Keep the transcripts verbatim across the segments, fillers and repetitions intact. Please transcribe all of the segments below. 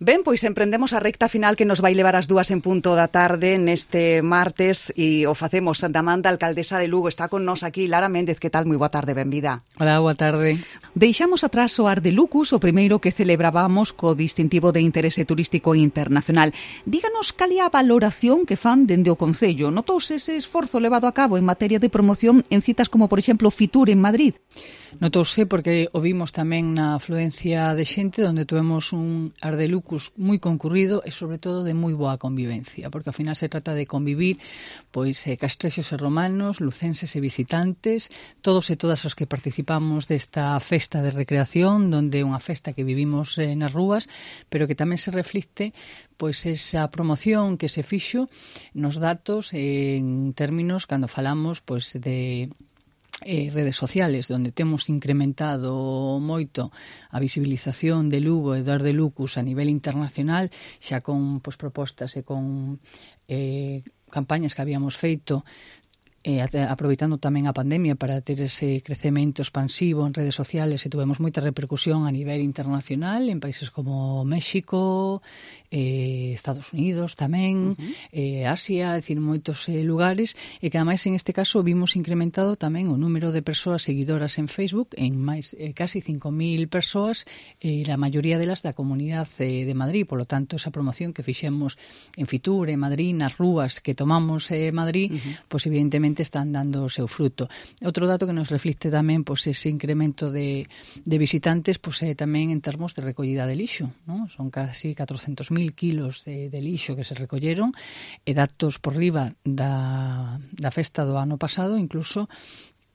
Ben, pois emprendemos a recta final que nos vai levar as dúas en punto da tarde neste martes e o facemos da man da alcaldesa de Lugo. Está con nos aquí Lara Méndez. Que tal? Moi boa tarde, benvida. Hola, boa tarde. Deixamos atrás o Ar de Lucus, o primeiro que celebrábamos co distintivo de interese turístico internacional. Díganos cal é a valoración que fan dende o Concello. Notouse ese esforzo levado a cabo en materia de promoción en citas como, por exemplo, Fitur en Madrid? Notouse porque o vimos tamén na afluencia de xente, onde tuvemos un Ar de Lucus moi concurrido e, sobre todo, de moi boa convivencia, porque ao final se trata de convivir pois eh, castrexos e romanos, lucenses e visitantes, todos e todas os que participamos desta festa de recreación, donde é unha festa que vivimos eh, nas rúas, pero que tamén se reflicte pois esa promoción que se fixo nos datos en términos cando falamos pois de Eh, redes sociales, onde temos incrementado moito a visibilización de Lugo e do Ar de Lucus a nivel internacional, xa con pois, propostas e con eh, campañas que habíamos feito eh, aproveitando tamén a pandemia para ter ese crecemento expansivo en redes sociales, e tuvemos moita repercusión a nivel internacional en países como México, eh, Estados Unidos tamén, uh-huh. eh, Asia, é dicir, moitos eh, lugares, e que ademais en este caso vimos incrementado tamén o número de persoas seguidoras en Facebook en máis eh, casi cinco mil persoas, e eh, a maioría delas da comunidade eh, de Madrid. Por lo tanto, esa promoción que fixemos en Fitur, en Madrid, nas rúas que tomamos eh, Madrid, uh-huh. pois evidentemente están dando o seu fruto. Outro dato que nos reflicte tamén pois ese incremento de, de visitantes pois é tamén en termos de recollida de lixo, ¿no? Son casi catrocentos mil kilos de, de lixo que se recolleron, e datos por riba da, da festa do ano pasado, incluso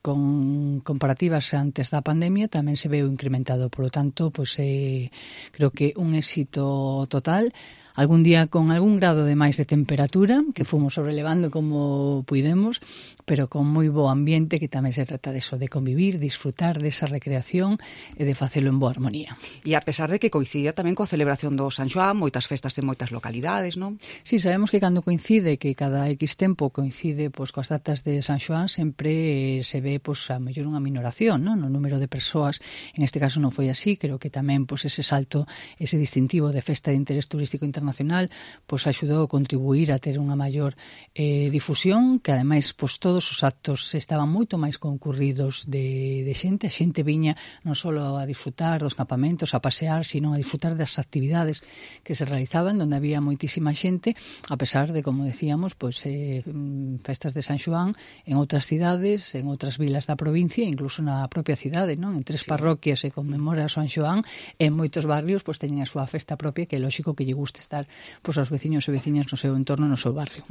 con comparativas antes da pandemia, tamén se veu incrementado. Por lo tanto, pois eh, creo que un éxito total. Algún día con algún grado de máis de temperatura, que fomos sobrelevando como puidemos, pero con moi bo ambiente, que tamén se trata de eso, de convivir, disfrutar desa recreación e de facelo en boa armonía. E a pesar de que coincide tamén coa celebración do San Xoán, moitas festas en moitas localidades, non? Sí, sabemos que cando coincide, que cada X tempo coincide pois coas datas de San Xoán, sempre eh, se ve pois a mellor unha minoración, non? No número de persoas. En este caso non foi así, creo que tamén pois ese salto, ese distintivo de festa de interés turístico internacional nacional, pois axudou a contribuir a ter unha maior eh, difusión, que ademais pois todos os actos estaban moito máis concurridos de, de xente, a xente viña non só a disfrutar dos campamentos, a pasear, sino a disfrutar das actividades que se realizaban, onde había moitísima xente, a pesar de, como decíamos, pois eh, festas de San Xoán en outras cidades, en outras vilas da provincia, incluso na propia cidade, non? En tres sí. parroquias se conmemora San Xoán, e en moitos barrios pois teñen a súa festa propia, que é lógico que lle guste estar pois aos veciños e veciñas no seu entorno, no seu barrio.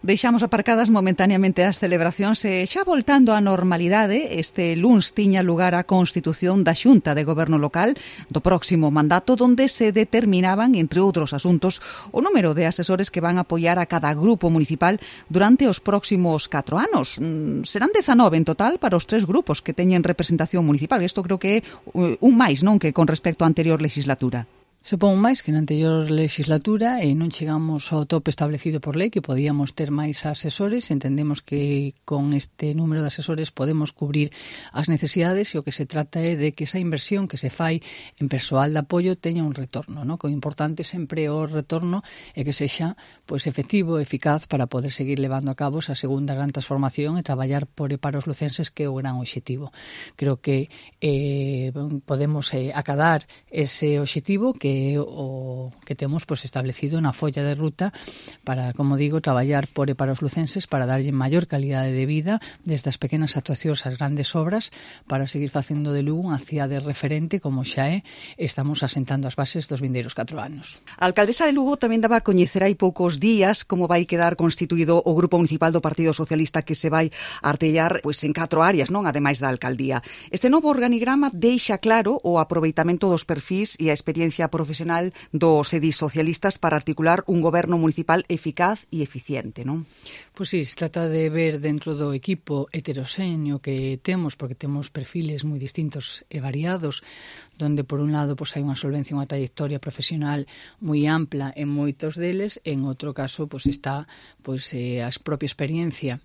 Deixamos aparcadas momentaneamente as celebracións e xa voltando á normalidade, este luns tiña lugar a constitución da Xunta de Goberno Local do próximo mandato, donde se determinaban, entre outros asuntos, o número de asesores que van a apoiar a cada grupo municipal durante os próximos catro anos. Serán dezanove en total para os tres grupos que teñen representación municipal. Isto creo que é un máis, non, que con respecto á anterior legislatura. Supón máis que na anterior legislatura e non chegamos ao tope establecido por lei, que podíamos ter máis asesores. Entendemos que con este número de asesores podemos cubrir as necesidades, e o que se trata é de que esa inversión que se fai en persoal de apoio teña un retorno, ¿no? Que o importante sempre o retorno é que sexa pois efectivo e eficaz para poder seguir levando a cabo esa segunda gran transformación e traballar por e para os lucenses, que é o gran obxectivo. Creo que eh, podemos eh, acadar ese obxectivo que o que temos pois establecido na folla de ruta para, como digo, traballar por e para os lucenses, para darlle maior calidade de vida desde as pequenas actuacións ás grandes obras, para seguir facendo de Lugo unha cidade referente, como xa é. Estamos asentando as bases dos vindeiros catro anos. A alcaldesa de Lugo tamén daba a coñecer hai poucos días como vai quedar constituído o Grupo Municipal do Partido Socialista, que se vai artellar pois en catro áreas, non, ademais da alcaldía. Este novo organigrama deixa claro o aproveitamento dos perfís e a experiencia profesional profesional dos edis socialistas para articular un goberno municipal eficaz e eficiente, non? Pois sí, se trata de ver dentro do equipo heteroxéneo que temos, porque temos perfiles moi distintos e variados, donde por un lado pois hai unha solvencia, unha trayectoria profesional moi ampla en moitos deles, en outro caso pois está pois eh, a propia experiencia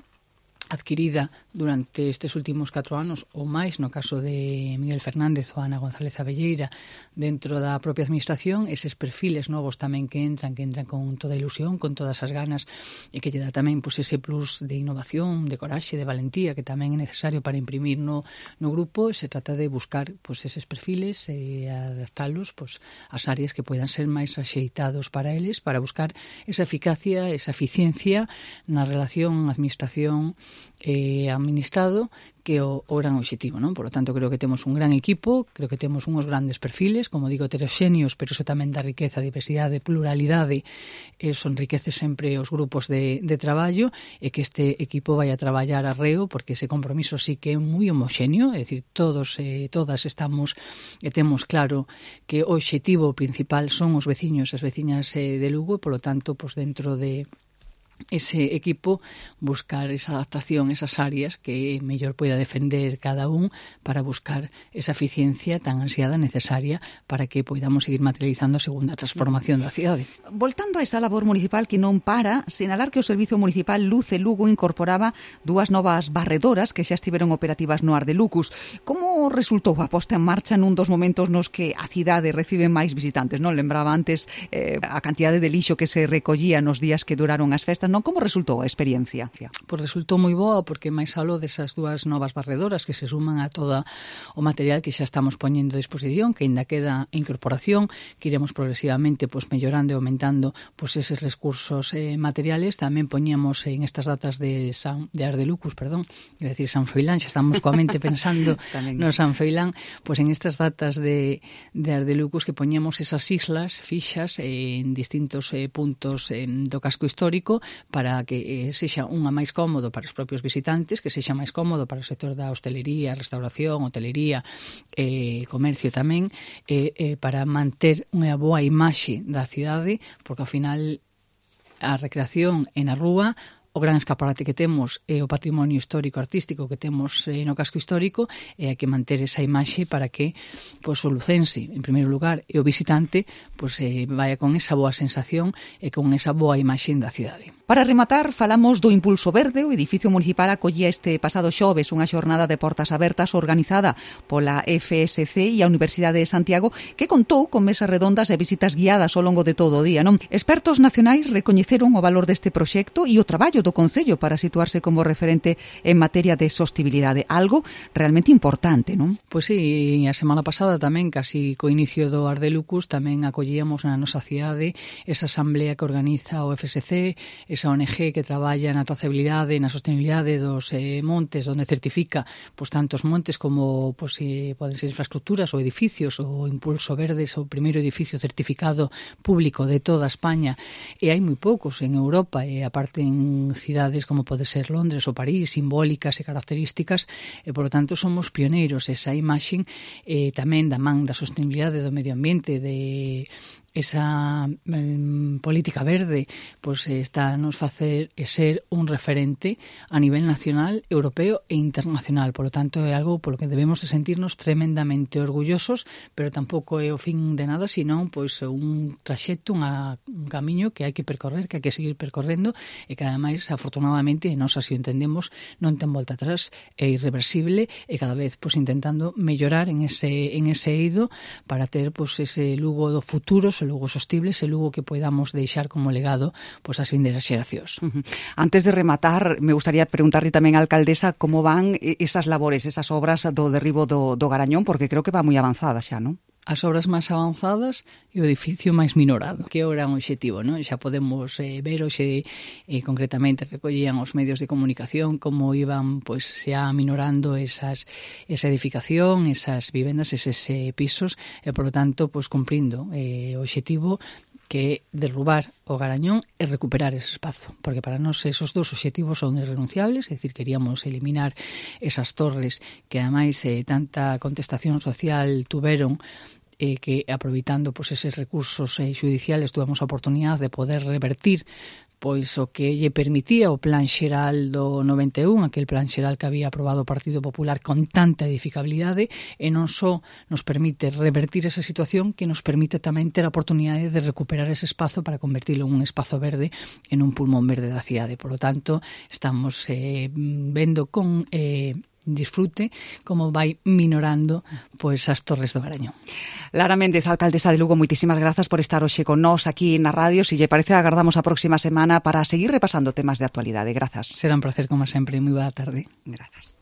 adquirida durante estes últimos catro anos ou máis, no caso de Miguel Fernández ou Ana González Abelleira, dentro da propia administración, eses perfiles novos tamén que entran, que entran con toda a ilusión, con todas as ganas, e que lle dá tamén pois, ese plus de innovación, de coraxe, de valentía, que tamén é necesario para imprimir no, no grupo. Se trata de buscar pois, eses perfiles e adaptalos pois, ás áreas que poidan ser máis axeitados para eles, para buscar esa eficacia, esa eficiencia na relación administración eh, administrado, que é o, o gran obxectivo, non? Por lo tanto, creo que temos un gran equipo, creo que temos unhos grandes perfiles, como digo, heteroxéneos, pero iso tamén dá riqueza, diversidade, pluralidade, eso enriquece sempre os grupos de, de traballo, e que este equipo vai a traballar arreo, porque ese compromiso sí que é moi homoxéneo, é dicir, todos e eh, todas estamos e temos claro que o obxectivo principal son os veciños e as veciñas eh, de Lugo, e, polo tanto, pois dentro de ese equipo buscar esa adaptación, esas áreas que mellor poida defender cada un para buscar esa eficiencia tan ansiada, necesaria, para que poidamos seguir materializando a segunda transformación da cidade. Voltando a esa labor municipal que non para, sinalar que o Servizo Municipal Luce Lugo incorporaba dúas novas barredoras que xa estiveron operativas no Ardelucus. Como resultou a posta en marcha nun dos momentos nos que a cidade recibe máis visitantes? Non lembraba antes eh, a cantidade de lixo que se recollía nos días que duraron as festas, non? Como resultou a experiencia? Pois resultou moi boa, porque máis aló desas dúas novas barredoras que se suman a todo o material que xa estamos poñendo a disposición, que ainda queda incorporación, que iremos progresivamente pois mellorando e aumentando pois eses recursos eh, materiales. Tamén poñíamos en estas datas de San de Ardelucus, perdón, iba a decir San Froilán, xa estamos coa mente pensando no San Froilán, pois en estas datas de, de Ardelucus que poñíamos esas islas fixas eh, en distintos eh, puntos eh, do casco histórico, para que eh, sexa unha máis cómodo para os propios visitantes, que sexa máis cómodo para o sector da hostelería, restauración, hotelería, eh, comercio tamén, eh, eh, para manter unha boa imaxe da cidade, porque ao final a recreación en a rúa, o gran escaparate que temos é o patrimonio histórico artístico que temos eh, no casco histórico, e hai que manter esa imaxe para que pois, o lucense, en primeiro lugar, e o visitante pois, eh, vaya con esa boa sensación e con esa boa imaxe da cidade. Para rematar, falamos do Impulso Verde. O edificio municipal acollía este pasado xoves unha xornada de portas abertas organizada pola F S C e a Universidade de Santiago, que contou con mesas redondas e visitas guiadas ao longo de todo o día, non? Expertos nacionais recoñeceron o valor deste proxecto e o traballo do Concello para situarse como referente en materia de sostibilidade, algo realmente importante, non? Pois sí, a semana pasada tamén, casi co inicio do Ardelucus, tamén acollíamos na nosa cidade esa asamblea que organiza o F S C, esa O N G que traballa na trazabilidade, na sostenibilidade dos eh, montes, onde certifica pois, tantos montes como pois, eh, poden ser infraestructuras ou edificios. O Impulso Verde é o primeiro edificio certificado público de toda España, e hai moi poucos en Europa, e aparte en cidades como pode ser Londres ou París, simbólicas e características, e por lo tanto somos pioneiros. Esa imaxe eh, tamén da man da sostenibilidade do medio ambiente, de esa eh, política verde, pois está a nos facer e ser un referente a nivel nacional, europeo e internacional. Por lo tanto, é algo polo que debemos de sentirnos tremendamente orgullosos, pero tampouco é o fin de nada, senón pois un traxecto, unha, un camiño que hai que percorrer, que hai que seguir percorrendo, e que ademais, afortunadamente, nós así o entendemos, non ten volta atrás, é irreversible, e cada vez pois intentando mellorar en ese en ese eido para ter pois ese Lugo do futuro, ese Lugo sostible, ese Lugo que podamos deixar como legado pois, ás vindeiras xeracións. Uh-huh. Antes de rematar, me gustaría preguntarle tamén á alcaldesa como van esas labores, esas obras do derribo do, do Garañón, porque creo que va moi avanzada xa, non? As obras máis avanzadas e o edificio máis minorado, que é o gran obxectivo, non? Xa podemos eh, ver hoxe eh, concretamente recollían os medios de comunicación como iban pois xa minorando esas esa edificación, esas vivendas, eses eh, pisos, e por lo tanto pois cumprindo eh, o obxectivo que é derrubar o Garañón e recuperar ese espazo, porque para nós esos dous obxectivos son irrenunciables, é dicir, queríamos eliminar esas torres que ademais eh, tanta contestación social tuveron, eh, que aproveitando pues, eses recursos eh, judiciales tuvemos a oportunidade de poder revertir pois o que lle permitía o Plan Xeral do noventa e un, aquel Plan Xeral que había aprobado o Partido Popular con tanta edificabilidade, e non só nos permite revertir esa situación, que nos permite tamén ter a oportunidade de recuperar ese espazo para convertilo en un espazo verde, en un pulmón verde da cidade. Por lo tanto, estamos eh, vendo con eh, disfrute como vai minorando pois as Torres do Garañón. Lara Méndez, alcaldesa de Lugo, moitísimas grazas por estar hoxe con nós aquí na radio. Se lle parece, agardamos a próxima semana para seguir repasando temas de actualidade. Grazas. Será un placer, como sempre. Moi boa tarde. Grazas.